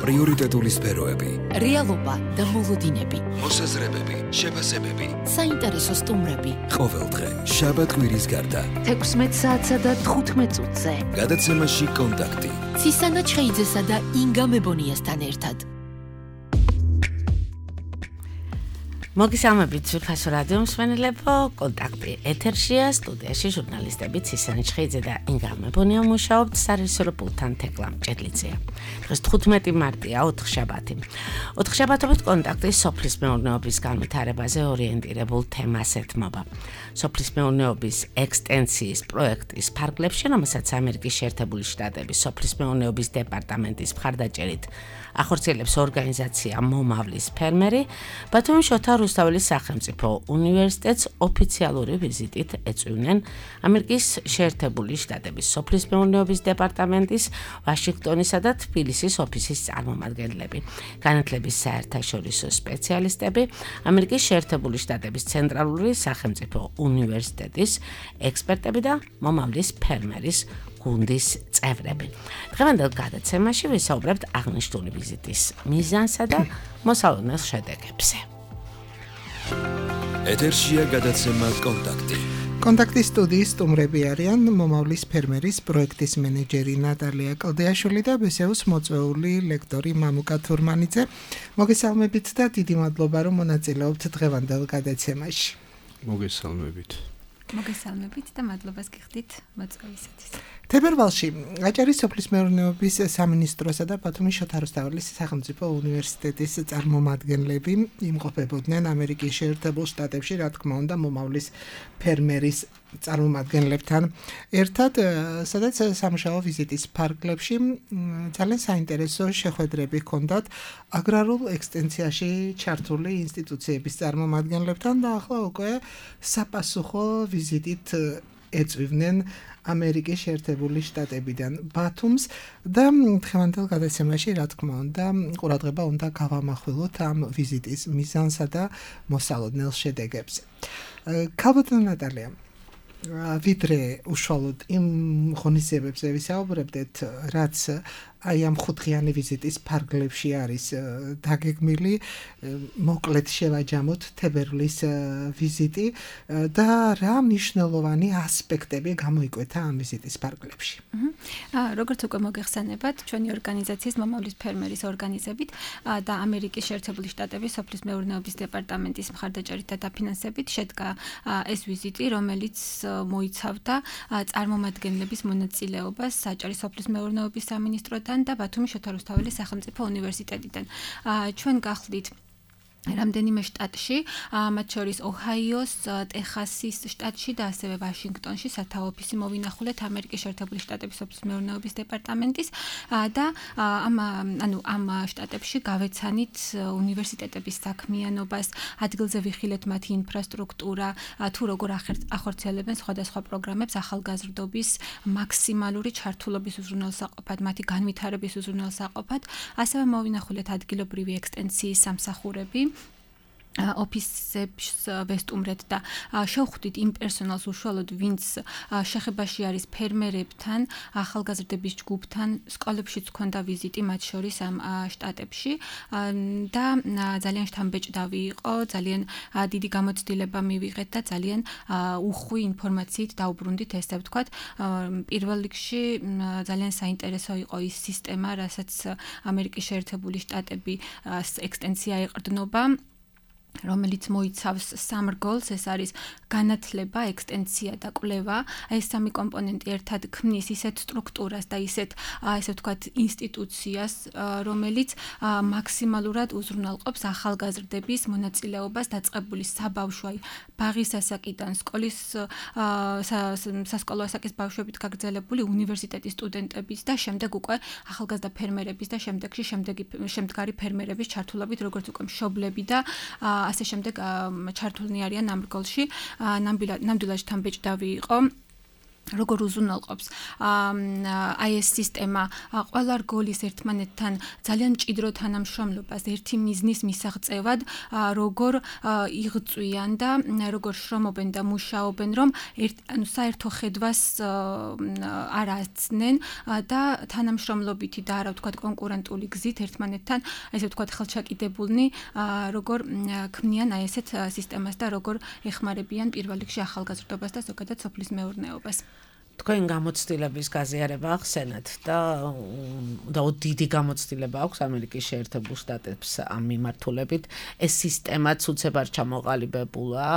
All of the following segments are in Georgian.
პრიორიტეტული სფეროები, რეალობა და მოლოდინები, მოსაზრებები, შეფასებები, საინტერესო სტუმრები. ყოველდღე შაბათ-კვირის გარდა 16 საათსა და 15 წუთზე. გადაცემაში კონტაქტი. ცისანა ჩხეიძესა და ინგა მებონიასთან ერთად. მოგესალმებით ძვირფასო რადიო მსმენელებო, კონტაქტი ეთერშია, სტუდიაში ჟურნალისტები ცისანა ჩხეიძე და ინგა მებონია მუშაობთ, სარეჟისორო პულტთან თეკლა მჭედლიძეა. დღეს 15 მარტია, 4 შაბათი. 4 შაბათობით კონტაქტი სოფლის მეურნეობის განვითარებაზე ორიენტირებულ თემას ეთმობა. სოფლის მეურნეობის ექსტენსიის პროექტის ფარგლებში, რომელსაც ამერიკის შეერთებული შტატების სოფლის მეურნეობის დეპარტამენტის მხარდაჭერით ახორციელებს ორგანიზაცია მომავლის ფერმერი, ბათუმის შოთა რუსთაველის სახელმწიფო უნივერსიტეტს ოფიციალური ვიზიტით ეწვივნენ ამერიკის შეერთებული შტატების სოფლის მეურნეობის დეპარტამენტის ვაშინგტონისა და თბილისის ოფისის წარმომადგენლები, განათლების საერთაშორისო სპეციალისტები, ამერიკის შეერთებული შტატების ცენტრალური სახელმწიფო უნივერსიტეტის ექსპერტები და მომავლის ფერმერის გუნდის წევრები. დღევანდელ გადაცემაში ვისაუბრებთ აღნიშნული ვიზიტის მიზანსა და მოსალოდნელ შედეგებზე. ეთერშია გადაცემა კონტაქტი. კონტაქტის სტუდიის სტუმრები არიან მომავლის ფერმერის პროექტის მენეჯერი ნატალია კლდეაშვილი და ბესეუს მოწვეული ლექტორი მამუკა თურმანიძე. მოგესალმებით და დიდი მადლობა რომ მონაწილეობთ დღევანდელ გადაცემაში. მოგესალმებით და მადლობას გიხდით მოწვევისათვის. თებერვალში აჭარის სოფლის მეურნეობის სამინისტროსა და ბათუმის შოთა რუსთაველის სახელმწიფო უნივერსიტეტის წარმომადგენლები იმყოფებოდნენ ამერიკის შეერთებულ შტატებში, რა თქმა უნდა, მომავლის ფერმერის წარმომადგენლებთან ერთად, სადაც სამუშაო ვიზიტის ფარგლებში ძალიან საინტერესო შეხვედრები ჰქონდათ აგრარულ ექსტენსიაში ჩართული ინსტიტუციების წარმომადგენლებთან და ახლა უკვე საპასუხო ვიზიტით ეწვივნენ ამერიკის შეერთებული შტატებიდან ბათუმს და დღევანდელ გადაცემაში, რა თქმა უნდა, ყურადღება უნდა გავამახვილოთ ამ ვიზიტის მიზანსა და მოსალოდნელ შედეგებზე. ქალბატონო ნატალია, ვიდრე უშუალოდ იმ ღონისძიებებზე ვისაუბრებდეთ, რაც აი ამ 5-დღიანი ვიზიტის ფარგლებში არის დაგეგმილი, მოკლედ შევაჯამოთ თებერვლის ვიზიტი და რა მნიშვნელოვანი ასპექტები გამოიკვეთა ამ ვიზიტის ფარგლებში. როგორც უკვე მოგეხსენებათ, ჩვენი ორგანიზაციის მომავლის ფერმერის ორგანიზებით და ამერიკის შეერთებული შტატების სოფლის მეურნეობის დეპარტამენტის მხარდაჭერით და დაფინანსებით შედგა ეს ვიზიტი, რომელიც მოიცავდა წარმომადგენლების მონაწილეობას აჭარის სოფლის მეურნეობის სამინისტროდან და ბათუმის შოთა რუსთაველის სახელმწიფო უნივერსიტეტიდან. ჩვენ გახლით რამდენიმე შტატში, მათ შორის ოჰაიოს, ტეხასის შტატში და ასევე ვაშინგტონში სათავო ოფისი მოვინახულეთ ამერიკის შეერთებული შტატების სოფლის მეურნეობის დეპარტამენტის და ამ შტატებში გავეცანით უნივერსიტეტების საქმიანობას, ადგილზე ვიხილეთ მათი ინფრასტრუქტურა, თუ როგორ ახორციელებენ სხვადასხვა პროგრამებს ახალგაზრდობის მაქსიმალური ჩართულობის უზრუნველსაყოფად, მათი განვითარების უზრუნველსაყოფად, ასევე მოვინახულეთ ადგილობრივი ექსტენსიის სამსახურები, ოფისებს ვესტუმრეთ და შევხვდით იმ პერსონალს უშუალოდ, ვინც შეხებაში არის ფერმერებთან, ახალგაზრდების ჯგუფთან, სკოლებშიც ჰქონდა ვიზიტი მათ შორის ამ შტატებში და ძალიან შთამბეჭდავი იყო, ძალიან დიდი გამოცდილება მივიღეთ და ძალიან უხვი ინფორმაციით დაუბრუნდით, ესე ვთქვათ. პირველ რიგში ძალიან საინტერესო იყო ის სისტემა, რასაც ამერიკის შეერთებული შტატები ექსტენსია ეყრდნობა, რომელიც მოიცავს 3 რგოლს, ეს არის განათლება, ექსტენსია და კვლევა. ეს 3 კომპონენტი ერთად ქმნის ისეთ სტრუქტურას და ისეთ, ესე ვთქვათ, ინსტიტუციას, რომელიც მაქსიმალურად უზრუნველყოფს ახალგაზრდების მონაწილეობას დაწყებული საბავშვო, ბაღის ასაკიდან, სკოლის სასკოლო ასაკის ბავშვებით გაგრძელებული უნივერსიტეტის სტუდენტების და შემდეგ უკვე ახალგაზრდა ფერმერების და შემდგარი ფერმერების ჩართულობით, როგორც უკვე მშობლები და ასე შემდეგ ჩართულნი არიან ამ რგოლში. ნამდვილად შთამბეჭდავი იყო როგორ უზრუნველყოფს აი ეს სისტემა ყველა რგოლის ერთმანეთთან ძალიან მჭიდრო თანამშრომლობას ერთი მიზნის მისაღწევად როგორ იღწვიან და როგორ შრომობენ და მუშაობენ რომ საერთო ხედვას არ აცნენ და თანამშრომლობითი და არა ვთქვათ კონკურენტული გზით ერთმანეთთან ესე ვთქვათ ხელჩაკიდებულნი როგორ ქმნიან აი ესეთ სისტემას და როგორ ეხმარებიან პირველ რიგში ახალგაზრდობას და ზოგადად სოფლის მეურნეობას. თქვენ გამოცდილების გაზიარება ახსენეთ და დიდი გამოცდილება აქვს ამერიკის შეერთებულ შტატებს ამ მიმართულებით. ეს სისტემაც უცებარ ჩამოყალიბებულა,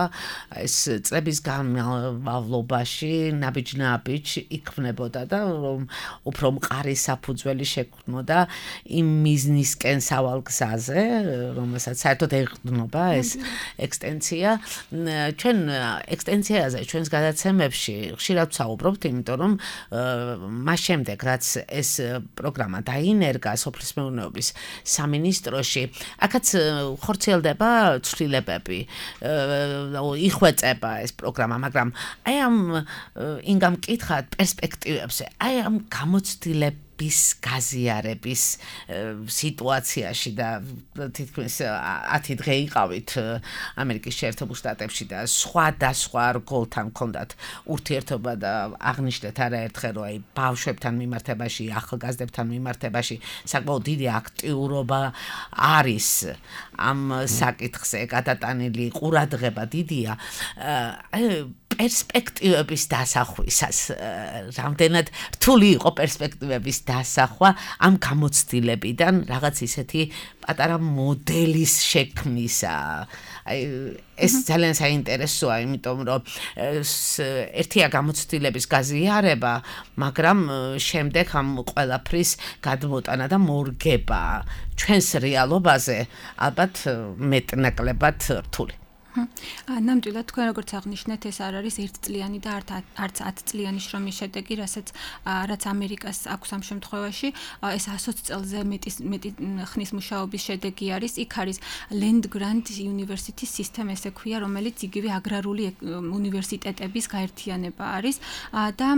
ეს წლების განმავლობაში ნაბიჯ იქმნებოდა და რომ უფრო მყარი საფუძველი შექმნოდა იმ მიზნისკენ სავალ გზაზე, რომელსაც საერთოდ ეყრდნობა ეს ექსტენსია. ჩვენ ექსტენსიაზე ჩვენს გადაცემებში ხშირად ვსაუბრობთ იმიტომ რომ მას შემდეგ რაც ეს პროგრამა დაინერგა სოფლის მეურნეობის სამინისტროში, აქაც ხორციელდება ცვლილებები, იხვეწება ეს პროგრამა, მაგრამ აი ამ ინგამ კითხავთ პერსპექტივებზე, აი ამ გამოცდილების გაზიარების სიტუაციაში და თითქმის 10 დღე იყავით ამერიკის შეერთებულ შტატებში და სხვა რგოლთან ჰქონდათ ურთიერთობა და აღნიშნეთ არაერთხელ რომ აი ბავშვებთან მიმართებაში, ახალგაზრდებთან მიმართებაში საკმაოდ დიდი აქტიურობა არის ამ საკითხზე გადატანილი ყურადღება დიდია. პერსპექტივების დასახვისას რამდენად რთული იყო პერსპექტივების დასახვა ამ გამოცდილებიდან რაღაც ისეთი პატარა მოდელის შექმნისა. აი ეს ძალიან საინტერესოა, იმიტომ რომ ერთია გამოცდილების გაზიარება, მაგრამ შემდეგ ამ ყველაფრის გადმოტანა და მორგება ჩვენს რეალობაზე ალბათ მეტნაკლებად რთული. ნამდვილად თქვენ როგორც აღნიშნეთ, ეს არ არის ერთწლიანი და არც 10 წლიანი შრომის შედეგი, რაც ამერიკას აქვს ამ შემთხვევაში, ეს 120 წელზე მეტი ხნის მუშაობის შედეგი არის. იქ არის Land Grant University System, ესე ქვია, რომელიც იგივე აგრარული უნივერსიტეტების გაერთიანება არის და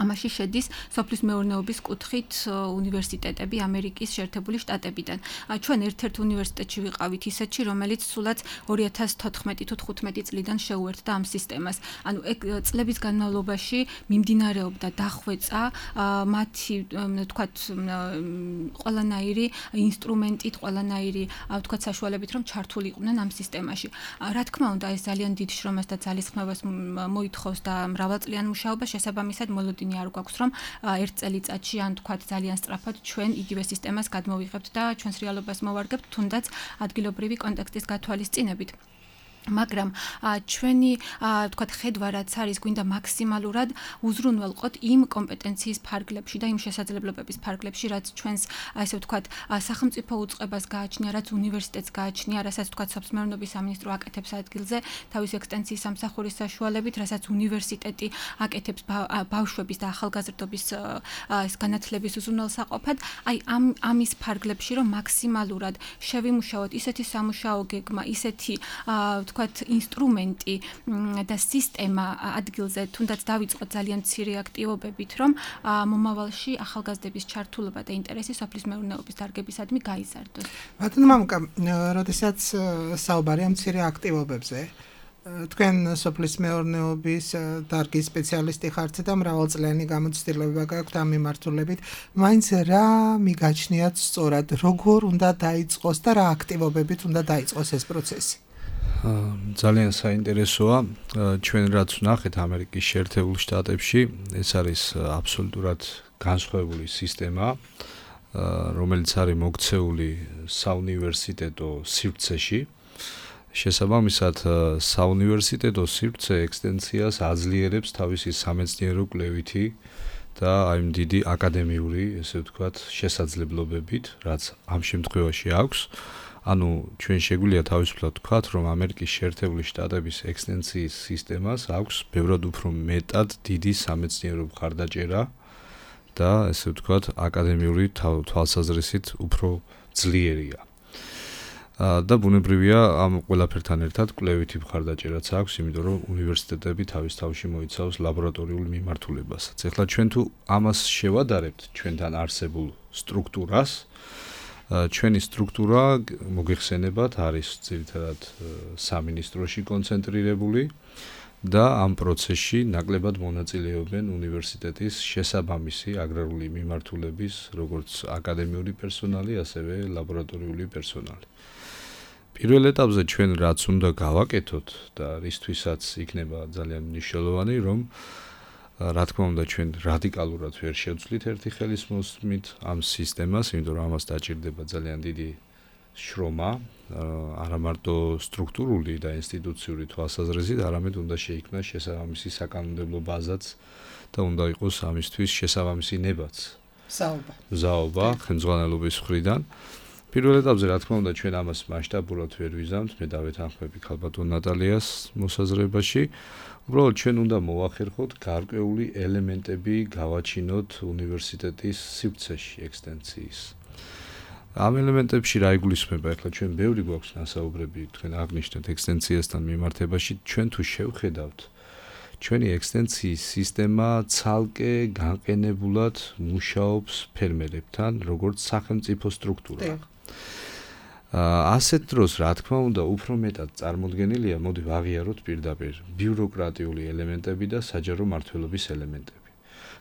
ამაში შედის სოფლის მეურნეობის კუთხით უნივერსიტეტები ამერიკის შეერთებული შტატებიდან. ჩვენ ერთ-ერთ უნივერსიტეტში ვიყავით ისეთში, რომელიც სულაც 2014 თუ 15 წლიდან შეუერთდა ამ სისტემას. ანუ წლების განმავლობაში მიმდინარეობდა დახვეწა მათი თქვათ ყველანაირი ინსტრუმენტით, ყველანაირი თქვათ საშუალებით, რომ ჩართულიყვნენ ამ სისტემაში. რა თქმა უნდა, ეს ძალიან დიდ შრომას და ძალისხმევას მოითხოვს და მრავალწლიან მუშაობას, შესაბამისად არ გვაქვს რომ ერთ წელიწადში ან თქვათ ძალიან სწრაფად ჩვენ იგივე სისტემას გადმოვიღებთ და ჩვენს რეალობას მოვარგებთ, თუნდაც ადგილობრივი კონტექსტის გათვალისწინებით. მაგრამ ჩვენი თქვათ ხედვა რაც არის, გვინდა მაქსიმალურად უზრუნველყოთ იმ კომპეტენციის ფარგლებში და იმ შესაძლებლობების ფარგლებში, რაც ჩვენს ასე ვთქვათ სახელმწიფო უწყებას გააჩნია, რაც უნივერსიტეტს გააჩნია, რასაც ვთქვათ სოფლის მეურნეობის სამინისტრო აკეთებს ადგილზე თავის ექსტენსიის სამსახურის საშუალებით, რასაც უნივერსიტეტი აკეთებს ბავშვების და ახალგაზრდობის განათლების უზრუნველსაყოფად, აი ამის ფარგლებში რომ მაქსიმალურად შევიმუშაოთ ისეთი სამუშაო გეგმა, ისეთი თქვათ ინსტრუმენტი და სისტემა ადგილზე, თუნდაც დავიწყოთ ძალიან მცირე აქტივობებით, რომ მომავალში ახალგაზრდების ჩართულობა და ინტერესი სოფლის მეურნეობის დარგებისადმი გაიზარდოს. ბატონო მამუკა, როდესაც საუბარია მცირე აქტივობებზე, თქვენ სოფლის მეურნეობის დარგის სპეციალისტი ხართ და მრავალწლიანი გამოცდილება გაქვთ ამ მიმართულებით, მაინც რა მიგაჩნიათ სწორად, როგორ უნდა დაიწყოს და რა აქტივობებით უნდა დაიწყოს ეს პროცესი? ძალიან საინტერესოა, ჩვენ რაც ვნახეთ ამერიკის შეერთებულ შტატებში, ეს არის აბსოლუტურად განსხვავებული სისტემა, რომელიც არის მოქცეული საუნივერსიტეტო სივრცეში. შესაბამისად, საუნივერსიტეტო სივრცე ექსტენსიას აძლიერებს თავისი სამეცნიერო კვლევითი და აი დიდი აკადემიური, ესე ვთქვათ, შესაძლებლობებით, რაც ამ შემთხვევაში აქვს. ანუ ჩვენ შეგვიძლია თავისუფლად ვთქვათ, რომ ამერიკის შეერთებული შტატების ექსტენსიის სისტემას აქვს ბევრად უფრო მეტად დიდი სამეცნიერო მხარდაჭერა და ესე ვთქვათ, აკადემიური თვალსაზრისით უფრო ძლიერია. და ბუნებრივია ამ ყველაფერთან ერთად კვლევითი მხარდაჭერაც აქვს, იმიტომ რომ უნივერსიტეტები თავის თავში მოიცავს ლაბორატორიულ მიმართულებასაც. ეხლა ჩვენ თუ ამას შევადარებთ ჩვენთან არსებულ სტრუქტურას, ჩვენი სტრუქტურა მოგეხსენებათ არის ძირითადად სამინისტროში კონცენტრირებული და ამ პროცესში ნაკლებად მონაწილეობენ უნივერსიტეტის შესაბამისი აგრარული მიმართულების როგორც აკადემიური პერსონალი, ასევე ლაბორატორიული პერსონალი. პირველ ეტაპზე ჩვენ რაც უნდა გავაკეთოთ და რისთვისაც იქნება ძალიან მნიშვნელოვანი, რომ რა თქმა უნდა ჩვენ რადიკალურად ვერ შევცვლით ერთი ხელის მოსმით ამ სისტემას, იმიტომ რომ ამას დაჭირდება ძალიან დიდი შრომა, არა მარტო სტრუქტურული და ინსტიტუციური თვალსაზრისით, არამედ უნდა შეიქმნას შესაბამისი საკანონმდებლო ბაზაც და უნდა იყოს ამისთვის შესაბამისი ნებაც. ზაობა ხელმძღვანელობის მხრიდან. პირველ ეტაპზე რა თქმა უნდა ჩვენ ამას მასშტაბურად ვერ ვიზამთ, მე დავეთანხმები ქალბატონ ნატალიას მოსაზრებაში. უბრალოდ ჩვენ უნდა მოვახერხოთ გარკვეული ელემენტები გავაჩინოთ უნივერსიტეტის სივრცეში ექსტენციის. ამ ელემენტებში რა იგულისხმება? ახლა ჩვენ ბევრი გვაქვს ნასაუბრები, თქვენ აღნიშნეთ ექსტენციასთან მიმართებაში, ჩვენ თუ შევხედავთ ჩვენი ექსტენციის სისტემა ცალკე განყენებულად მუშაობს ფერმერებთან, როგორც სახელმწიფო სტრუქტურა. ასეთ დროს, რა თქმა უნდა, უფრო მეტად წარმოდგენილია, მოდი ვაღიაროთ პირდაპირ ბიუროკრატიული ელემენტები და საჯარო მმართველობის ელემენტები.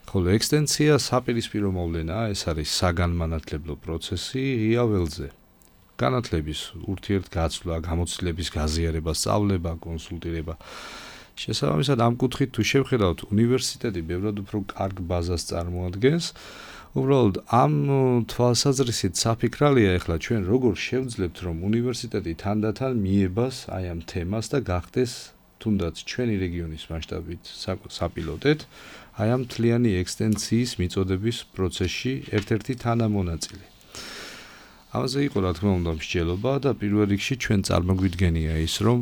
ხოლო ექსტენცია საპირისპირო მოვლენაა, ეს არის საგანმანათლებლო პროცესი ღია ველზე. განათლების ურთიერთგაცვლა, გამოცდილების გაზიარება, სწავლება, კონსულტირება. შესაბამისად ამ კუთხით თუ შევხედავთ, უნივერსიტეტი ბევრად უფრო კარგ ბაზას წარმოადგენს. უბრალოდ ამ თვალსაზრისით საფიქრალია ახლა ჩვენ როგორ შევძლებთ რომ უნივერსიტეტი თანდათან მიებას აი ამ თემას და გახდეს თუნდაც ჩვენი რეგიონის მასშტაბით საპილოტეთ აი ამ მთლიანი ექსტენციის მიწოდების პროცესში ერთ-ერთი თანამონაწილე. ამაზე იყო რა თქმა უნდა მსჯელობა და პირველ რიგში ჩვენ წარმოგვიდგენია ის რომ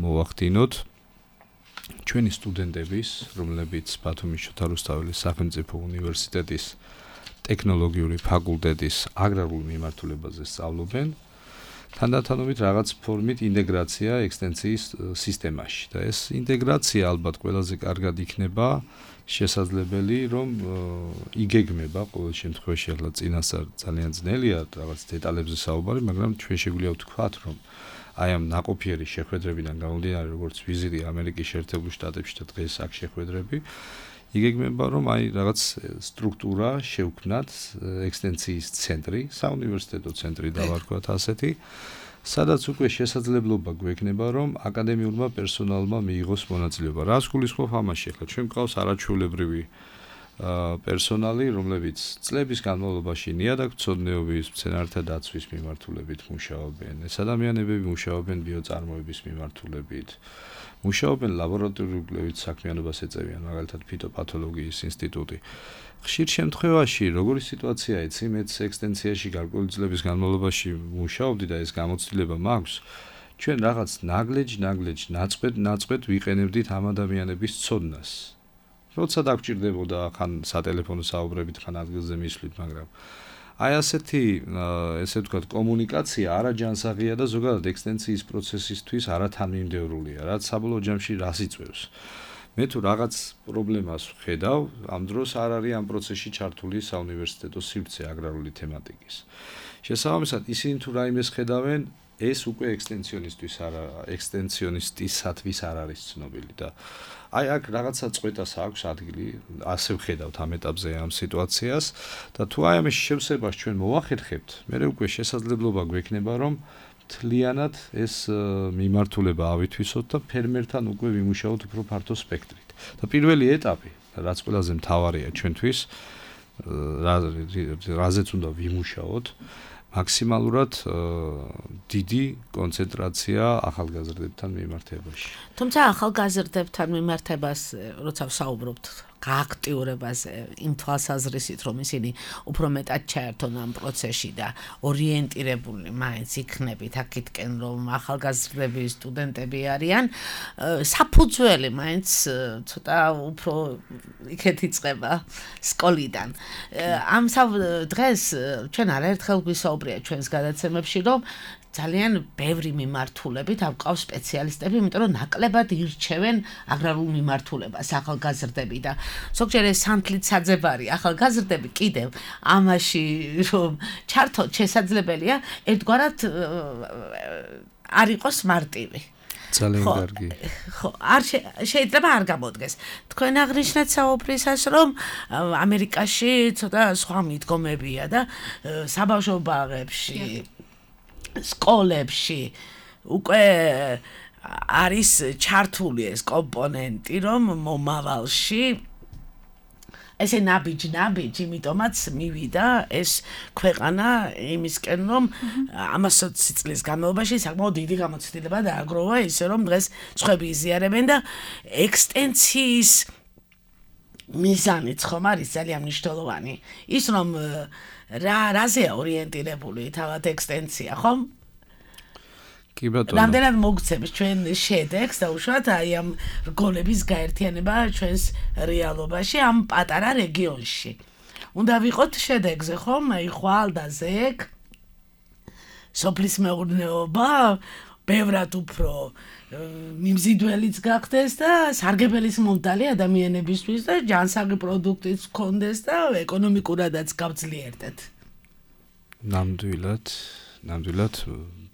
მოვახდინოთ ჩვენი სტუდენტების, რომლებიც ბათუმის შოთა რუსთაველის სახელმწიფო უნივერსიტეტის ტექნოლოგიური ფაკულტეტის აგრარულ მიმართულებაზე სწავლობენ, თანდათანობით რაღაც ფორმით ინტეგრაცია ექსტენციის სისტემაში და ეს ინტეგრაცია ალბათ ყველაზე კარგად იქნება შესაძლებელი, რომ იგეგმება ყოველ შემთხვევაში ახლა წინასწარ ძალიან ძნელია რაღაც დეტალებზე საუბარი, მაგრამ ჩვენ შეგვიძლია ვთქვათ, რომ აი ამ ნაყოფიერი შეხვედრებიდან გამომდინარე, როგორც ვიზიტი ამერიკის შეერთებულ შტატებში და დღეს აქ შეხვედრები, იგეგმება, რომ აი რაღაც სტრუქტურა შევქმნათ, ექსტენციის ცენტრი, საუნივერსიტეტო ცენტრი დავარქვათ ასეთი, სადაც უკვე შესაძლებლობა გვექნება, რომ აკადემიურმა პერსონალმა მიიღოს მონაწილეობა. რას გულისხმობ ამაში? ახლა ჩვენ გვყავს არაჩვეულებრივი პერსონალი, რომლებიც წლების განმავლობაში ნიადაგთმცოდნეობის, მცენარეთა დაცვის მიმართულებით მუშაობენ. ეს ადამიანები მუშაობენ ბიოწარმოების მიმართულებით. მუშაობენ ლაბორატორიულ კვლევით საქმიანობას ეწევიან, მაგალითად ფიტოპათოლოგიის ინსტიტუტი. ხშირ შემთხვევაში, როგორი სიტუაციაა, იცი, მეც ექსტენციაში გარკვეული წლების განმავლობაში მუშაობდი და ეს გამოცდილება მაქვს. ჩვენ რაღაც ნაწყვედ ვიყენებდით ამ ადამიანების ცოდნას. როცა დაგჭირდებოდა ხან სატელეფონო საუბრებით, ხან ადგილზე მისვლით, მაგრამ აი ასეთი, ესე ვთქვათ, კომუნიკაცია არაჯანსაღია და ზოგადად ექსტენციის პროცესისთვის არათანმიმდევრულია, რაც საბოლოო ჯამში რას იწვევს. მე თუ რაღაც პრობლემას ვხედავ, ამ დროს არ არის ამ პროცესში ჩართული საუნივერსიტეტო სივრცე აგრარული თემატიკის. შესაბამისად, ისინი თუ რაიმეს ხედავენ, ეს უკვე ექსტენციონისტისათვის არ არის ცნობილი და აი აქ რაღაცა წვეტას აქვს ადგილი, ასე ვხედავთ ამ ეტაპზე ამ სიტუაციას და თუ აი ამის შევსებას ჩვენ მოვახერხებთ, მე უკვე შესაძლებლობა გვექნება, რომ მთლიანად ეს მიმართულება ავითვისოთ და ფერმერთან უკვე ვიმუშაოთ უფრო ფართო სპექტრით. და პირველი ეტაპი, რაც ყველაზე მთავარია ჩვენთვის, რაზეც უნდა ვიმუშაოთ, მაქსიმალურად დიდი კონცენტრაცია ახალგაზრდებთან მიმართებაში. თუმცა ახალგაზრდებთან მიმართებას, როცა ვსაუბრობთ გააქტიურებაზე იმ თვალსაზრისით, რომ ისინი უფრო მეტად ჩაერთონ ამ პროცესში და ორიენტირებული მაინც იქნებით აქეთკენ, რომ ახალგაზრდები, სტუდენტები არიან, საფუძველი მაინც ცოტა უფრო იქეთ იწყება სკოლიდან. ამ დღეს ჩვენ არაერთხელ გვისაუბრია ჩვენს გადაცემებში, რომ ძალიან ბევრი მიმართულებით ავყავს სპეციალისტები, იმიტომ რომ ნაკლებად ირჩევენ აგრარულ მიმართულებას ახალგაზრდები და ზოგჯერ ეს სანთლით საძებარი ახალგაზრდები კიდევ ამაში რომ ჩართოთ შესაძლებელია ერთგვარად არ იყოს მარტივი. ძალიან კარგი. ხო, შეიძლება არ გამოდგეს. თქვენ აღნიშნეთ საუბრისას, რომ ამერიკაში ცოტა სხვა მიდგომებია და საბავშვო ბაღებში სკოლებში უკვე არის ჩართული ეს კომპონენტი, რომ მომავალში ესე ნაბიჯ, იმიტომაც მივიდა ეს ქვეყანა იმისკენ, რომ 120 წლის განმავლობაში საკმაოდ დიდი გამოცდილება დააგროვა, ისე რომ დღეს სხვები იზიარებენ და ექსტენციის მიზანიც ხომ არის ძალიან მნიშვნელოვანი. ის რომ რაზეა ორიენტირებული თავად ექსტენცია, ხომ? კი ბატონო. რამდენად მოგცემს ჩვენ შედეგს და უშუალოდ აი ამ რგოლების გაერთიანება ჩვენს რეალობაში ამ პატარა რეგიონში. უნდა ვიყოთ შედეგზე, ხომ? აი ხვალ და ზეგ სოფლის მეურნეობა ბევრად უფრო მიმზიდველიც გახდეს და სარგებელის მომდალი ადამიანებისთვის და ჯანსაღი პროდუქტიც გქონდეს და ეკონომიკურადაც გავძლიერდეთ. ნამდვილად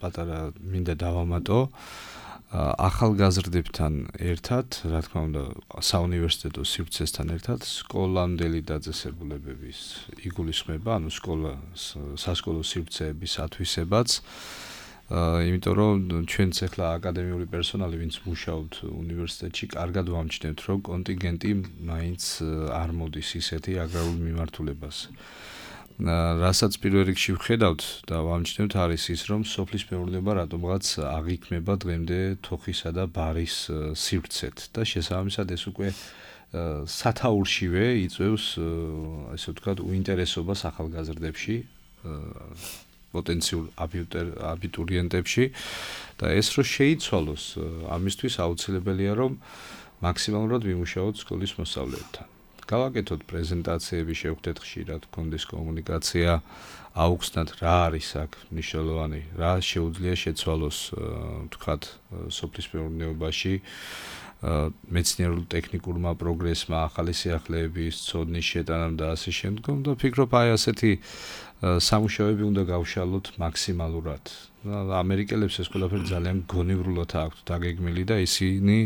პატარა მინდა დავამატო ახალგაზრდებთან ერთად, რა თქმა უნდა, საუნივერსიტეტო სივრცესთან ერთად სკოლამდელი დაწესებულებების იგულისხმება, ანუ სასკოლო სივრცეების ათვისებაც. იმიტომ რომ ჩვენც ახლა აკადემიური პერსონალი, ვინც მუშაობთ უნივერსიტეტში, კარგად ვამჩნევთ, რომ კონტინგენტი მაინც არ მოდის ისეთი აგრარულ მიმართულებაზე. რასაც პირველ რიგში ვხედავთ და ვამჩნევთ არის ის, რომ სოფლის მეურნეობა რატომღაც აღიქმება დღემდე თოხისა და ბარის სივრცეთ და შესაბამისად ეს უკვე სათაურშივე იწვევს, ასე ვთქვათ, უინტერესობას ახალგაზრდებში, პოტენციურ აბიტურიენტებში და ეს რო შეიცვალოს, ამისთვის აუცილებელია, რომ მაქსიმალურად ვიმუშაოთ სკოლის მოსწავლეებთან. გავაკეთოთ პრეზენტაციები, შევხვდეთ ხშირად, გქონდეს კომუნიკაცია, აუხსნათ რა არის აქ მნიშვნელოვანი, რა შეუძლია შეცვალოს, ვთქვათ, სოფლის მეურნეობაში, მეცნიერულ ტექნიკურმა პროგრესმა, ახალი სიახლეების ცოდნის შეტანამ და ასე შემდგომ და ვფიქრობ, აი ასეთი სამუშაოები უნდა გავშალოთ მაქსიმალურად. ამერიკელებს ეს ყველაფერი ძალიან გონივრულად აქვთ დაგეგმილი და ისინი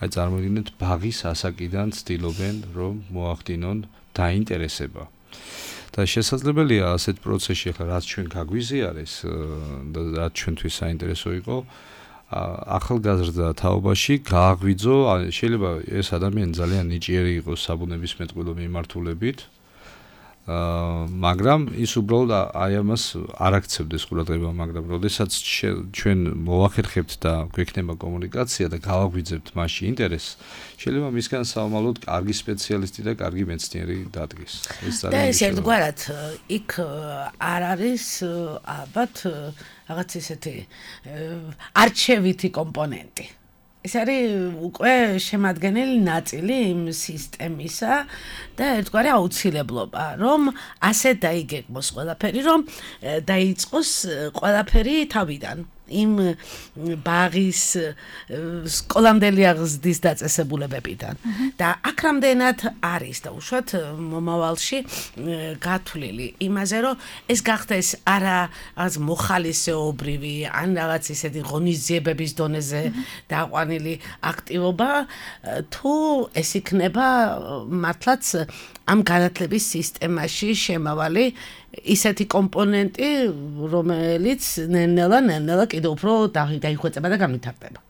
აი წარმოიდგინეთ ბაღის ასაკიდან ცდილობენ რომ მოახდინონ დაინტერესება. და შესაძლებელია ასეთ პროცესში ახლა რაც ჩვენ გაგვიზიარეს და რაც ჩვენთვის საინტერესო იყო ახალგაზრდა თაობაში გააღვიძო, შეიძლება ეს ადამიანი ძალიან ნიჭიერი იყოს საბუნებისმეტყველო მიმართულებით, მაგრამ ის უბრალოდ აი ამას არ აქცევდეს ყურადღება, მაგრამ როდესაც ჩვენ მოვახერხებთ და გვექნება კომუნიკაცია და გავაგვიძებთ მასში ინტერესს, შეიძლება მისგან საომალოდ კარგი სპეციალისტი და კარგი მეცნიერი დადგეს. და ეს ერთგვარად იქ არ არის ალბათ რაღაც ისეთი არჩევითი კომპონენტი. ეს არის უკვე შემადგენელი ნაწილი იმ სისტემისა და ერთგვარი აუცილებლობა, რომ ასე დაიგეგმოს ყველაფერი, რომ დაიწყოს ყველაფერი თავიდან. იმ ბაღის სკოლამდელი აღზრდის დაწესებულებებიდან და აქ რამდენად არის და უშუალოდ მომავალში გათვლილი იმაზე, რომ ეს გახდეს არა რაღაც მოხალისეობრივი ან რაღაც ისეთი ღონისძიებების დონეზე დაყვანილი აქტივობა, თუ ეს იქნება მართლაც ამ განათლების სისტემაში შემავალი ისეთი კომპონენტი, რომელიც ნელ-ნელა კიდევ უფრო დაიხვეწება და განვითარდება.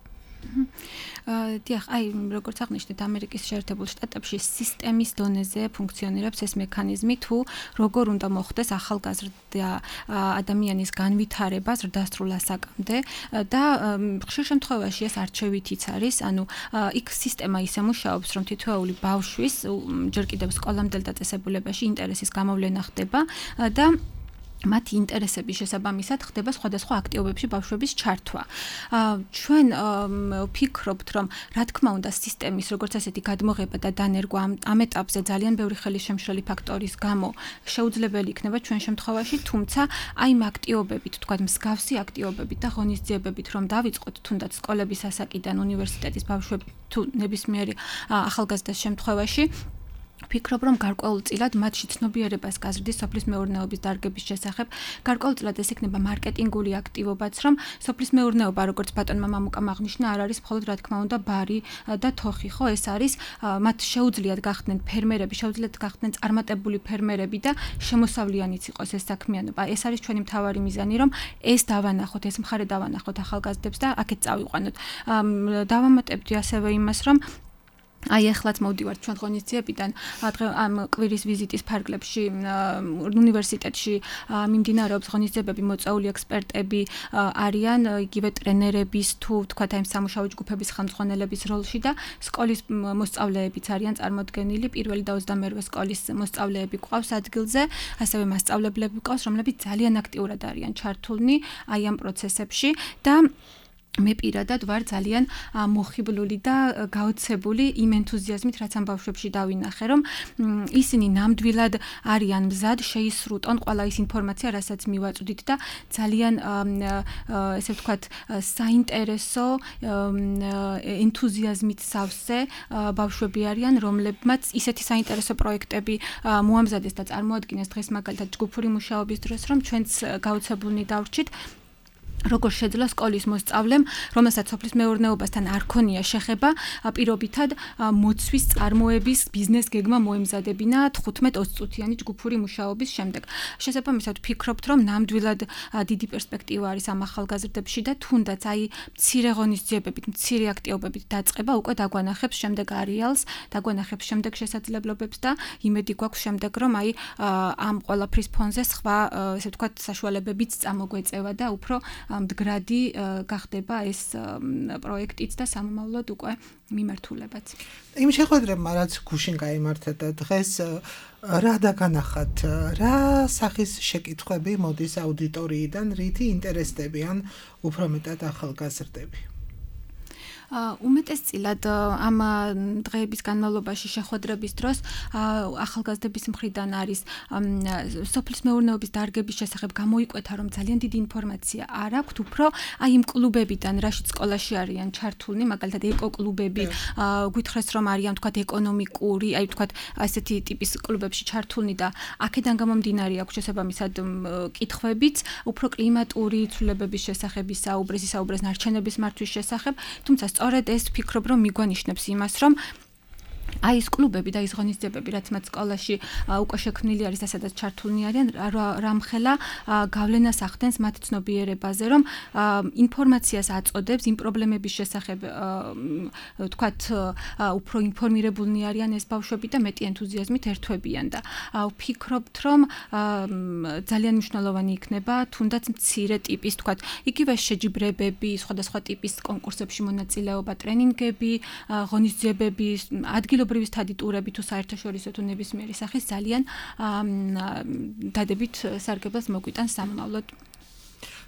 დიახ, აი, როგორც აღნიშნეთ, ამერიკის შეერთებულ შტატებში სისტემის დონეზე ფუნქციონირებს ეს მექანიზმი, თუ როგორ უნდა მოხდეს ახალგაზრდა ადამიანის განვითარება ზრდასრულ ასაკამდე და ხშირ შემთხვევაში ეს არჩევითიც არის, ანუ იქ სისტემა ისე მუშაობს, რომ თითოეული ბავშვის ჯერ კიდევ სკოლამდელ დაწესებულებაში ინტერესის გამოვლენა ხდება და მათი ინტერესების შესაბამისად ხდება სხვადასხვა აქტივობებში ბავშვების ჩართვა. ჩვენ ვფიქრობთ, რომ რა თქმა უნდა სისტემის როგორც ასეთი გადმოღება და დანერგვა ამ ეტაპზე ძალიან ბევრი ხელისშემშლელი ფაქტორის გამო შეუძლებელი იქნება ჩვენ შემთხვევაში, თუმცა აი ამ აქტივობებით, თქვათ მსგავსი აქტივობებით და ღონისძიებებით რომ დავიწყოთ თუნდაც სკოლების ასაკიდან უნივერსიტეტის ბავშვები თუ ნებისმიერი ახალგაზრდას შემთხვევაში ვფიქრობ, რომ გარკვეულწილად მათში ცნობიერებას გაზრდის სოფლის მეურნეობის დარგების შესახებ. გარკვეულწილად ეს იქნება მარკეტინგული აქტივობაც, რომ სოფლის მეურნეობა, როგორც ბატონმა მამუკამ აღნიშნა, არ არის მხოლოდ რა თქმა უნდა ბარი და თოხი, ხო, ეს არის მათ შეუძლიათ გახდნენ ფერმერები, შეუძლიათ გახდნენ წარმატებული ფერმერები და შემოსავლიანიც იყოს ეს საქმიანობა. ეს არის ჩვენი მთავარი მიზანი, რომ ეს დავანახოთ, ეს მხარე დავანახოთ ახალგაზრდებს და აქეთ წავიყვანოთ. დავამატებდი ასევე იმას, რომ აი ახლაც მოვდივართ ჩვენ ღონისძიებიდან ამ კვირის ვიზიტის ფარგლებში უნივერსიტეტში მიმდინარეობს ღონისძიებები მოწვეული ექსპერტები არიან იგივე ტრენერების თუ თქვათ აი სამუშაო ჯგუფების ხელმძღვანელების როლში და სკოლის მოსწავლეებიც არიან წარმოდგენილი პირველი და 22 სკოლის მოსწავლეები გვყავს ადგილზე ასევე მასწავლებლები გვყავს რომლებიც ძალიან აქტიურად არიან ჩართულნი აი ამ პროცესებში და მე პირადად ვარ ძალიან მოხიბლული და გაოცებული იმ ენთუზიაზმით, რაც ამ ბავშვებში დავინახე, რომ ისინი ნამდვილად არიან მზად შეისრუტონ ყველა ის ინფორმაცია, რასაც მივაწვდით და ძალიან ესე ვთქვათ, საინტერესო ენთუზიაზმით სავსე ბავშვები არიან, რომლებმაც ისეთი საინტერესო პროექტები მოამზადეს და წარმოადგინეს დღეს მაგალითად ჯგუფური მუშაობის დროს, რომ ჩვენც გაოცებულნი დავრჩით როგორ შეძლო სკოლის მოსწავლემ, რომელსაც სოფლის მეურნეობასთან არ ქონია შეხება, პირობითად მოცვის წარმოების ბიზნეს გეგმა მოემზადებინა 15-20 წუთიანი ჯგუფური მუშაობის შემდეგ. შესაბამისად ვფიქრობთ, რომ ნამდვილად დიდი პერსპექტივა არის ამ ახალგაზრდებში და თუნდაც აი მცირე ღონისძიებებით, მცირე აქტივობებით დაწყება უკვე დაგვანახებს შემდეგ არეალს, დაგვანახებს შემდეგ შესაძლებლობებს და იმედი გვაქვს შემდეგ, რომ აი ამ ყველაფრის ფონზე სხვა, ესე ვთქვათ, საშუალებებიც წამოგვეწევა და უფრო მდგრადი გახდება ეს პროექტიც და სამომავლოდ უკვე მიმართულებაც. იმ შეხვედრებმა რაც გუშინ გაიმართა და დღეს რა დაგანახათ, რა სახის შეკითხვები მოდის აუდიტორიიდან, რითი ინტერესდებიან უფრო მეტად ახალგაზრდები? უმეტესწილად ამ დღეების განმავლობაში შეხვედრების დროს ახალგაზრდების მხრიდან არის სოფლის მეურნეობის დარგების შესახებ გამოიკვეთა, რომ ძალიან დიდი ინფორმაცია არ აქვთ, უფრო აი იმ კლუბებიდან, რაშიც სკოლაში არიან ჩართულნი, მაგალითად ეკო-კლუბები, გვითხრეს რომ არიან თქვათ ეკონომიკური, აი თქვათ ასეთი ტიპის კლუბებში ჩართულნი და აქედან გამომდინარე აქვს შესაბამისად კითხვებიც, უფრო კლიმატური ცვლილებების შესახებ ისაუბრეს ნარჩენების მართვის შესახებ, თუმცა სწორედ ეს ვფიქრობ, რომ მიგვანიშნებს იმას, რომ აი ეს კლუბები და ის ღონისძიებები, რაც მათ სკოლაში უკვე შექმნილი არის და სადაც ჩართულნი არიან, რამხელა გავლენას ახდენს მათ ცნობიერებაზე, რომ ინფორმაციას აწოდებს იმ პრობლემების შესახებ, თქვათ, უფრო ინფორმირებულნი არიან ეს ბავშვები და მეტი ენთუზიაზმით ერთვებიან და ვფიქრობთ, რომ ძალიან მნიშვნელოვანი იქნება თუნდაც მცირე ტიპის, თქვათ, იგივე შეჯიბრებები, სხვადასხვა ტიპის კონკურსებში მონაწილეობა, ტრენინგები, ღონისძიებები, ადგილობრივი სტადი ტურები თუ საერთაშორისო თუ ნებისმიერი სახის ძალიან დადებით სარგებლას მოგვიტანს სამომავლოდ.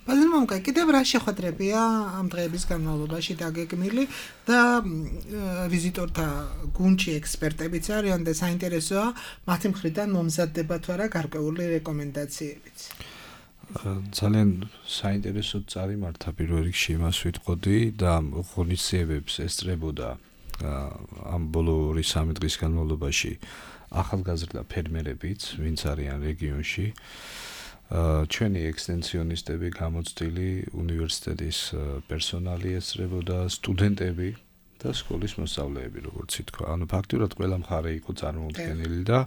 ბატონო მამუკა, კიდევ რა შეხვედრებია ამ დღეების განმავლობაში დაგეგმილი და ვიზიტორთა გუნდში ექსპერტებიც არიან და საინტერესოა მათი მხრიდან მომზადდება თუ არა გარკვეული რეკომენდაციებიც. ძალიან საინტერესო წარიმართა პირველ რიგში იმას ვიტყოდი და ღონისძიებებს ესწრებოდა ამ ბოლო 2-3 დღის განმავლობაში ახალგაზრდა ფერმერებიც, ვინც არიან რეგიონში, ჩვენი ექსტენსიონისტები, გამოცდილი უნივერსიტეტის პერსონალი ესწრებოდა, სტუდენტები და სკოლის მოსწავლეები, როგორც ითქვა. ანუ ფაქტურად ყველა მხარე იყო წარმოუდგენელი და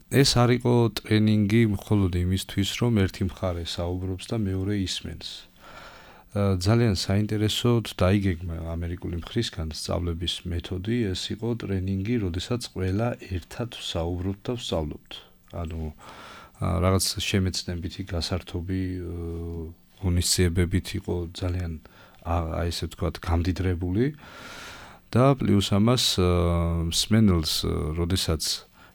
ეს არ იყო ტრენინგი მხოლოდ იმისთვის, რომ ერთი მხარე საუბრობს და მეორე ისმენს. ძალიან საინტერესოდ დაიგეგმა ამერიკული მხრისგან სწავლების მეთოდი, ეს იყო ტრენინგი, როდესაც ყველა ერთად საუბრობთ და ვსწავლობთ. ანუ რაღაც შემეცნებითი გასართობი ღონისძიებებით იყო ძალიან აი ესე ვთქვათ გამდიდრებული და პლუს ამას მსმენელს, როდესაც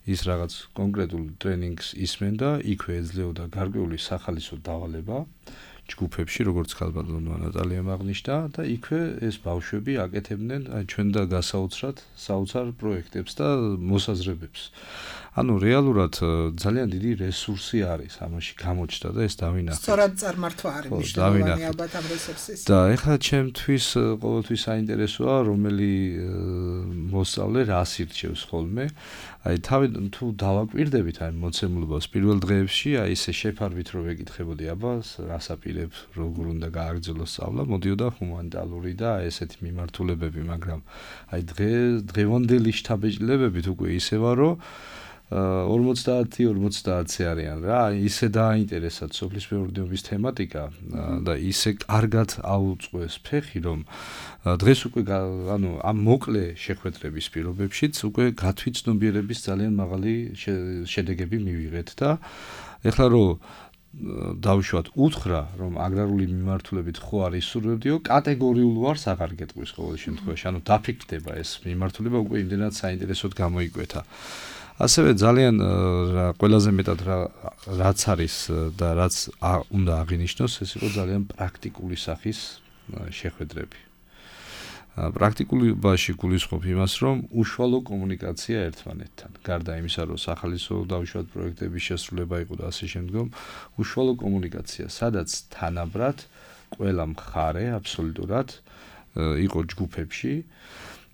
ის რაღაც კონკრეტულ ტრენინგს ისმენდა, იქვე ეძლეოდა გარკვეული სახალისო დავალება ჯგუფებში, როგორც ქალბატონო ნატალიამ აღნიშნა და იქვე ეს ბავშვები აკეთებდნენ ჩვენ და გასაოცრად საოცარ პროექტებს და მოსაზრებებს. ანუ რეალურად ძალიან დიდი რესურსი არის ამაში გამოჩნდა და ეს დავინახეთ. სწორად წარმართვა არის მნიშვნელოვანი ალბათ ამ რესურსის. და ეხლა ჩემთვის ყოველთვის საინტერესოა რომელი მოსწავლე რას ირჩევს ხოლმე. აი თავი თუ დავაკვირდებით აი მოცემულობას პირველ დღეებში, აი ესე შეფარვით რომ ეკითხებოდი, აბა რას აპირებ, როგორ უნდა გააგრძელოს სწავლა, მოდიოდა ჰუმანიტარული და ესეთი მიმართულებები, მაგრამ აი დღევანდელი შთაბეჭდილებებით უკვე ისევა რომ 50-50 არიან რა, ისე დააინტერესათ სოფლის მეურნეობის თემატიკა და ისე კარგად აუწყვეს ფეხი, რომ დღეს უკვე ანუ ამ მოკლე შეხვედრების პირობებშიც უკვე გათვითცნობიერების ძალიან მაღალი შედეგები მივიღეთ და ეხლა რომ დავუშვათ უთხრა, რომ აგრარული მიმართულებით ხო არ ისურვებდიო, კატეგორიულ ვარს აღარ გეტყვის ყოველ შემთხვევაში, ანუ დაფიქრდება ეს მიმართულება უკვე იმდენად საინტერესოდ გამოიკვეთა. ასევე ძალიან ყველაზე მეტად რაც არის და რაც უნდა აღინიშნოს, ეს იყო ძალიან პრაქტიკული სახის შეხვედრები. პრაქტიკულობაში გულისხმობ იმას, რომ უშუალო კომუნიკაცია ერთმანეთთან. გარდა იმისა, რომ სახალისო დავუშვათ პროექტების შესრულება იყო და ასე შემდგომ, უშუალო კომუნიკაცია, სადაც თანაბრად ყველა მხარე აბსოლუტურად იყო ჯგუფებში.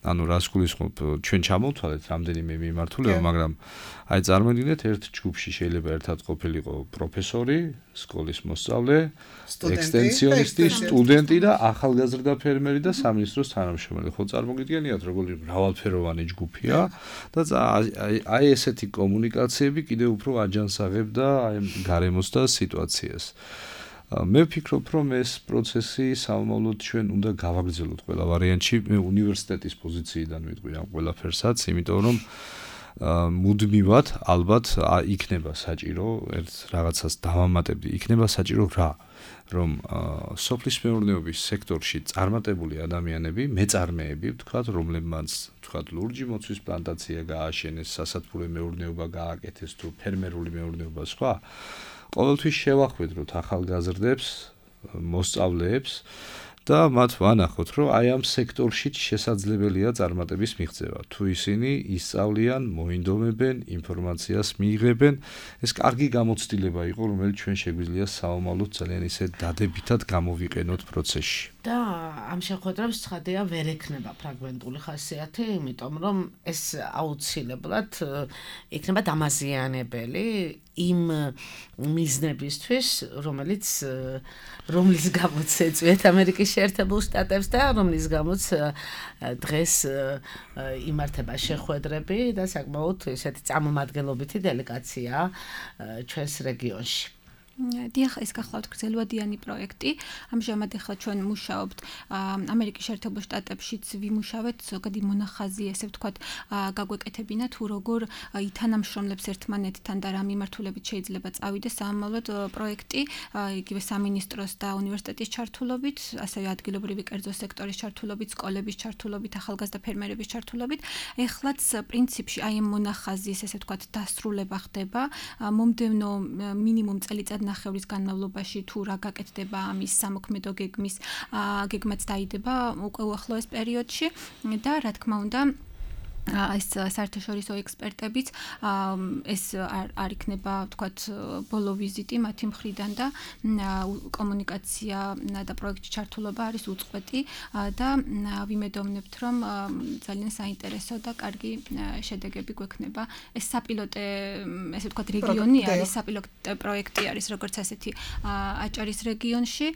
ანუ რას გულისხმობ, ჩვენ ჩამოვთვალეთ რამდენიმე მიმართულება, მაგრამ აი წარმოიდგინეთ ერთ ჯგუფში შეიძლება ერთად ყოფილიყო პროფესორი, სკოლის მოსწავლე, ექსტენსიონისტი, სტუდენტი და ახალგაზრდა ფერმერი და სამინისტროს თანამშრომელი. ხო წარმოგიდგენიათ, როგორი მრავალფეროვანი ჯგუფია და აი ესეთი კომუნიკაციები კიდევ უფრო აჯანსაღებდა აი გარემოს და სიტუაციას. მე ვფიქრობ, რომ ეს პროცესი სამომავლოდ ჩვენ უნდა გავაგრძელოთ ყველა ვარიანტში. მე უნივერსიტეტის პოზიციიდან ვიტყვი ამ ყველაფერსაც, იმიტომ რომ მუდმივად ალბათ იქნება საჭირო ერთ რაღაცას დავამატებდი. იქნება საჭირო რა? რომ სოფლის მეურნეობის სექტორში წარმატებული ადამიანები, მეწარმეები, ვთქვათ, რომლებმაც ვთქვათ, ლურჯი მოცვის პლანტაცია გააშენეს, სასათბურე მეურნეობა გააკეთეს თუ ფერმერული მეურნეობა სხვა ყოველთვის შევახვედროთ ახალგაზრდებს, მოსწავლეებს და მათ ვანახოთ, რომ აი ამ სექტორშიც შესაძლებელია წარმატების მიღწევა. თუ ისინი ისწავლიან, მოინდომებენ, ინფორმაციას მიიღებენ, ეს კარგი გამოცდილება იყო, რომელიც ჩვენ შეგვიძლია საომალოდ ძალიან ისე დადებითად გამოვიყენოთ პროცესში. და ამ შეხვედრებს ცხადია ვერ ექნება ფრაგმენტული ხასიათი, იმიტომ რომ ეს აუცილებლად იქნება დამაზიანებელი იმ მიზნებისთვის, რომლის გამოც ეწვიეთ ამერიკის შეერთებულ შტატებს და რომლის გამოც დღეს იმართება შეხვედრები და საკმაოდ ესეთი წარმომადგენლობითი დელეგაცია ჩვენს რეგიონში. დიახ, ეს გახლავთ გრძელვადიანი პროექტი. ამჟამად ახლა ჩვენ მუშაობთ ამერიკის შეერთებულ შტატებშიც ვიმუშავეთ ზოგადი მონახაზი, ესე ვთქვათ, გაგვეკეთებინა თუ როგორ ითანამშრომლებს ერთმანეთთან და რა მიმართულებით შეიძლება წავიდეს სამომავლოდ პროექტი, იგივე სამინისტროს და უნივერსიტეტის ჩართულობით, ასევე ადგილობრივი კერძო სექტორის ჩართულობით, სკოლების ჩართულობით, ახალგაზრდა ფერმერების ჩართულობით. ეხლაც პრინციპში აი ამ მონახაზის, ესე ვთქვათ, დასრულება ხდება. მომდევნო მინიმუმ წელიწად ნახევრის განმავლობაში თუ რა გაკეთდება ამის სამოქმედო გეგმაც დაიდება უკვე უახლოეს პერიოდში და რა თქმა უნდა ეს საერთაშორისო ექსპერტებიც ეს არ იქნება, ვთქვათ, ბოლო ვიზიტი მათი მხრიდან და კომუნიკაცია და პროექტში ჩართულობა არის უწყვეტი და ვიმედოვნებთ, რომ ძალიან საინტერესო და კარგი შედეგები გვექნება. ეს საპილოტე, ესე ვთქვათ, რეგიონი არის, საპილოტე პროექტი არის, როგორც ასეთი აჭარის რეგიონში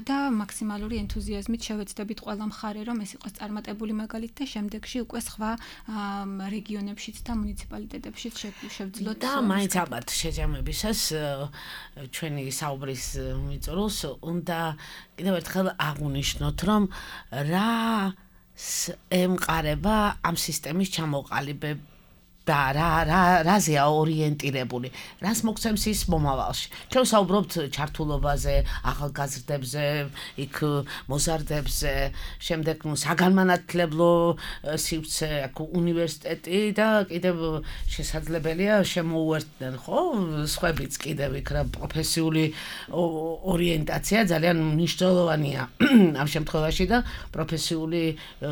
და მაქსიმალური ენთუზიაზმით შევეცდებით ყველა მხარე, რომ ეს იყოს წარმატებული მაგალითი და შემდეგში უკვე სხვა რეგიონებშიც და მუნიციპალიტეტებშიც შევძლოთ და მაინც ალბათ შეჯამებისას ჩვენი საუბრის მიწურულს უნდა კიდევ ერთხელ აღვნიშნოთ, რომ რა ემყარება ამ სისტემის ჩამოყალიბება და რაზეა ორიენტირებული, რას მოგცემს ის მომავალში. ჩვენ საუბრობთ ჩართულობაზე, ახალგაზრდებზე, იქ მოზარდებზე, შემდეგ საგანმანათლებლო სივრცე, უნივერსიტეტი და კიდევ შესაძლებელია შემოუერთდნენ, ხო? სხვებიც კიდევ იქ რა პროფესიული ორიენტაცია ძალიან მნიშვნელოვანია ამ შემთხვევაში და პროფესიული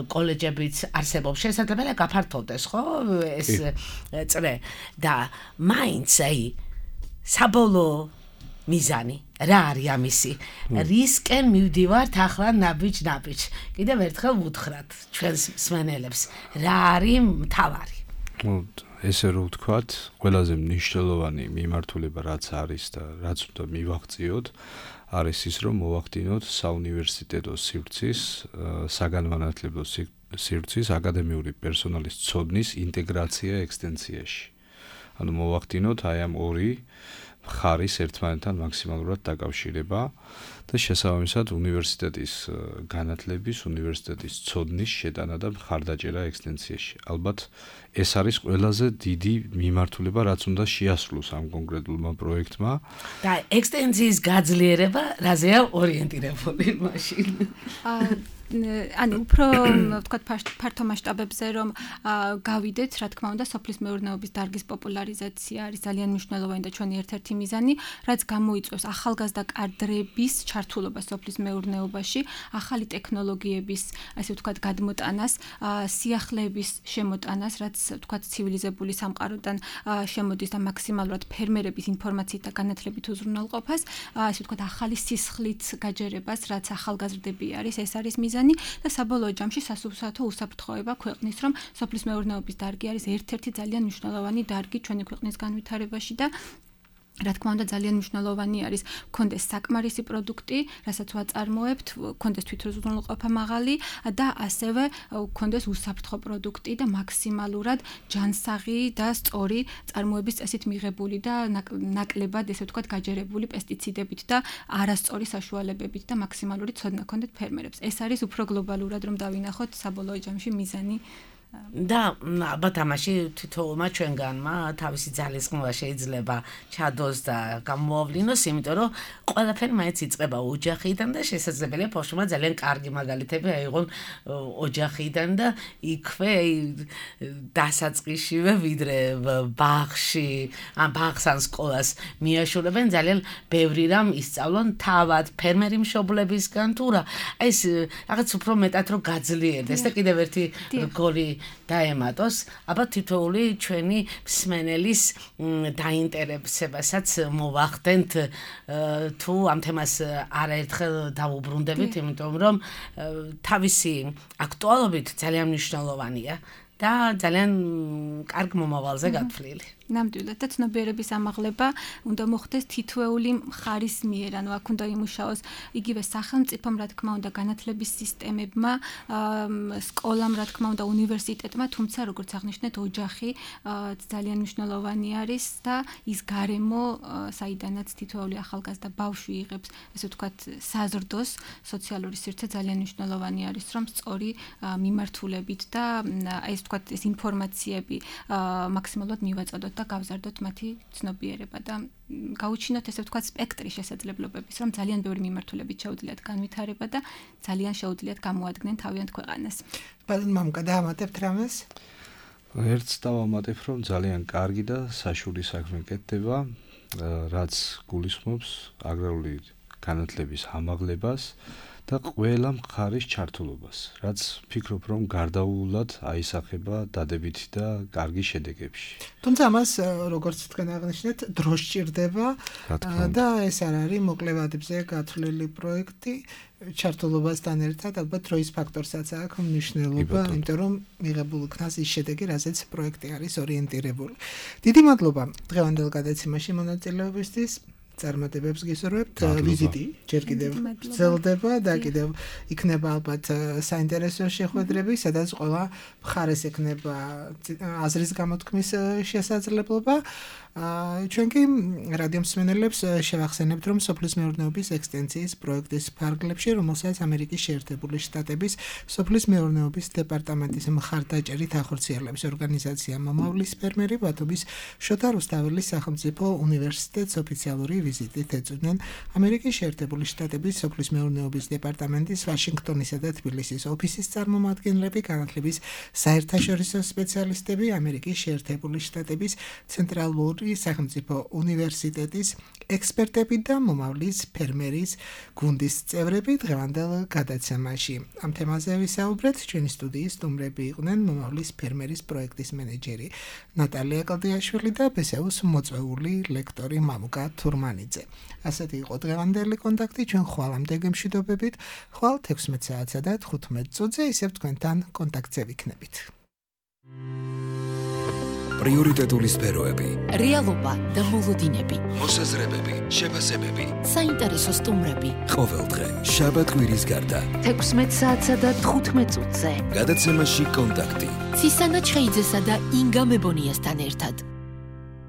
კოლეჯებიც არსებობს. შესაძლებელია გაფართოვდეს, ხო? ეს წრე და მაინც აი საბოლოო მიზანი რა არის ამისი? რისკენ მივდივართ ახლა ნაბიჯ-ნაბიჯ. კიდევ ერთხელ ვუთხრათ ჩვენს მსმენელებს, რა არის მთავარი? ესე რომ ვთქვათ, ყველაზე მნიშვნელოვანი მიმართულება რაც არის და რაც უნდა მივაღწიოთ, არის ის, რომ მოვახდინოთ საუნივერსიტეტო სივრცის, საგანმანათლებლო სივრცის აკადემიური პერსონალის ცოდნის ინტეგრაცია ექსტენსიაში. ანუ მოვახდინოთ აი ამ ორი მხარის ერთმანეთთან მაქსიმალურად დაკავშირება და შესაბამისად უნივერსიტეტის განათლების, უნივერსიტეტის ცოდნის შეტანა და მხარდაჭერა ექსტენსიაში. ალბათ ეს არის ყველაზე დიდი მიმართულება, რაც უნდა შეასრულოს ამ კონკრეტულმა პროექტმა. და ექსტენსიის გაძლიერება რაზეა ორიენტირებული მაშინ? ანუ უფრო ვთქვათ ფართო მასშტაბებზე რომ გავიდეთ, რა თქმა უნდა, სოფლის მეურნეობის დარგის პოპულარიზაცია არის ძალიან მნიშვნელოვანი და ჩვენი ერთ-ერთი მიზანი, რაც გამოიწვევს ახალგაზრდა კადრების ჩართულობას სოფლის მეურნეობაში, ახალი ტექნოლოგიების, ასე ვთქვათ, გადმოტანას, სიახლეების შემოტანას, რაც ვთქვათ ცივილიზებული სამყაროდან შემოდის და მაქსიმალურად ფერმერების ინფორმაციით და განათლებით უზრუნველყოფას, ასე ვთქვათ, ახალი სისხლით გაჯერებას, რაც ახალგაზრდები არის, ეს არის მიზანი. და საბოლოო ჯამში სასურსათო უსაფრთხოება ქვეყნის, რომ სოფლის მეურნეობის დარგი არის ერთ-ერთი ძალიან მნიშვნელოვანი დარგი ჩვენი ქვეყნის განვითარებაში და რა თქმა უნდა ძალიან მნიშვნელოვანი არის კონდეს საკმარისი პროდუქტი, რასაც ვაწარმოებთ, კონდეს თვითუზრუნველყოფა მაღალი და ასევე კონდეს უსაფრთხო პროდუქტი და მაქსიმალურად ჯანსაღი და სწორი წარმოების წესით მიღებული და ნაკლებად, ესე ვთქვათ, გაჯერებული პესტიციდებით და არასწორი საშუალებებით და მაქსიმალური ცოდნა კონდეთ ფერმერებს. ეს არის უფრო გლობალურად რომ დავინახოთ საბოლოო ჯამში მიზანი. და ალბათ ამაში თითოეულმა ჩვენგანმა თავისი ძალისხმევა შეიძლება ჩადოს და გამოავლინოს, იმიტომ რომ ყველაფერი მაინც იწყება ოჯახიდან და შესაძლებელია ბავშვმა ძალიან კარგი მაგალითები აიღონ ოჯახიდან და იქვე დასაწყისშივე ვიდრე ბაღში, ან ბაღს ან სკოლას მიაშურებენ, ძალიან ბევრი რამ ისწავლონ თავად ფერმერი მშობლებისგან თუ რა. ეს რაღაც უფრო მეტად რომ გაძლიერდეს და კიდევ ერთი რგოლი დაემატოს, აბა თითოეული ჩვენი მსმენელის დაინტერესებასაც მოვახდენთ თუ ამ თემას არაერთხელ დავუბრუნდებით, იმიტომ რომ თავისი აქტუალობით ძალიან მნიშვნელოვანია და ძალიან კარგ მომავალზე გათვლილი. ნამდვილად და ცნობიერების ამაღლება უნდა მოხდეს თითოეული მხარის მიერ, ანუ აქ უნდა იმუშაოს იგივე სახელმწიფომ, რა თქმა უნდა, განათლების სისტემებმა, სკოლამ, რა თქმა უნდა, უნივერსიტეტმა, თუმცა როგორც აღნიშნეთ, ოჯახი ძალიან მნიშვნელოვანი არის და ის გარემო, საიდანაც თითოეული ახალგაზრდა ბავშვი იღებს, ესე ვთქვათ, საზრდოს, სოციალური სივრცე ძალიან მნიშვნელოვანი არის, რომ სწორი მიმართულებით და ეს ვთქვათ, ეს ინფორმაციები მაქსიმალურად მივაწოდოთ და გავზარდოთ მათი ცნობიერება და გაუჩინოთ ესე ვთქვათ სპექტრი შესაძლებლობების, რომ ძალიან ბევრი მიმართულებით შეუძლიათ განვითარება და ძალიან შეუძლიათ გამოადგნენ თავიანთ ქვეყანას. ბატონ მამუკა, დაამატებთ რამეს? ერთს დავამატებ, რომ ძალიან კარგი და საშუალო საქმე კეთდება, რაც გულისხმობს აგრარული განათლების ამაღლებას და ყველა მხარის ჩართულობას, რაც ფიქრობ, რომ გარდაუულად აისახება დადებითი და კარგი შედეგებში. თუმცა ამას, როგორც თქვენ აღნიშნეთ, დრო სჭირდება და ეს არ არის მოკლე ვადებზე გათვლილი პროექტი. ჩართულობასთან ერთად ალბათ დროის ფაქტორსაც აქვს მნიშვნელობა, იმიტომ რომ მიღებულ იქნას ის შედეგი, რაზეც პროექტი არის ორიენტირებული. დიდი მადლობა დღევანდელ გადაცემაში მონაწილეობისთვის. წარმატებებს გისურვებთ. ვიზიტი ჯერ კიდევ გრძელდება და კიდევ იქნება ალბათ საინტერესო შეხვედრები, სადაც ყველა მხარეს ექნება აზრის გამოთქმის შესაძლებლობა. ჩვენ კი რადიო მსმენელებს შევახსენებთ, რომ სოფლის მეურნეობის ექსტენსიის პროექტის ფარგლებში, რომელსაც ამერიკის შეერთებული შტატების სოფლის მეურნეობის დეპარტამენტის მხარდაჭერით ახორციელებს ორგანიზაცია მომავლის ფერმერი, ბათუმის შოთა რუსთაველის სახელმწიფო უნივერსიტეტს ოფიციალური ვიზიტით ეწვდნენ ამერიკის შეერთებული შტატების სოფლის მეურნეობის დეპარტამენტის ვაშინგტონისა და თბილისის ოფისის წარმომადგენლები, განათლების საერთაშორისო სპეციალისტები, ამერიკის შეერთებული შტატების ცენტრალური სახელმწიფო უნივერსიტეტის ექსპერტები და მომავლის ფერმერის გუნდის წევრები დღევანდელ გადაცემაში. ამ თემაზე ვისაუბრეთ. ჩვენი სტუდიის სტუმრები იყვნენ მომავლის ფერმერის პროექტის მენეჯერი ნატალია კლდიაშვილი და ბესეუს მოწვეული ლექტორი მამუკა თურმანიძე. ასეთი იყო დღევანდელი კონტაქტი. ჩვენ ხვალამდე გემშვიდობებით. ხვალ 16 საათსა და 15 წუთზე ისევ თქვენთან კონტაქტზე ვიქნებით. პრიორიტეტული სფეროები, რეალობა და მოლოდინები, მოსაზრებები, შეფასებები, საინტერესო სტუმრები. ყოველდღე შაბათ კვირის გარდა 16 საათსა და 15 წუთზე. გადაცემაში კონტაქტი. ცისანა ჩხეიძესა და ინგა მებონიასთან ერთად.